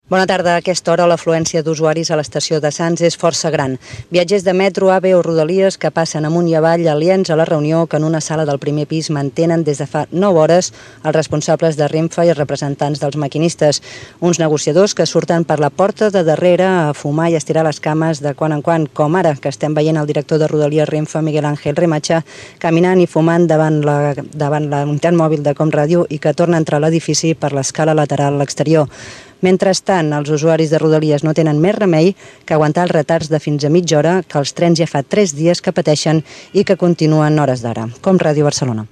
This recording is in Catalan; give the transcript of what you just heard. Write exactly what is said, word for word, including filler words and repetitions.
Bona tarda. A aquesta hora l'afluència d'usuaris a l'estació de Sants és força gran. Viatgers de metro, AVE o Rodalies que passen amunt i avall aliens a la reunió que en una sala del primer pis mantenen des de fa nou hores els responsables de Renfe i els representants dels maquinistes. Uns negociadors que surten per la porta de darrere a fumar i a estirar les cames de quan en quan, com ara que estem veient el director de Rodalies Renfe, Miguel Ángel Remacha, caminant i fumant davant la, davant la unitat mòbil de Comràdio i que torna a entrar a l'edifici per l'escala lateral a l'exterior. Mentrestant, els usuaris de Rodalies no tenen més remei que aguantar els retards de fins a mitja hora que els trens ja fa tres dies que pateixen i que continuen hores d'ara. Comràdio Barcelona.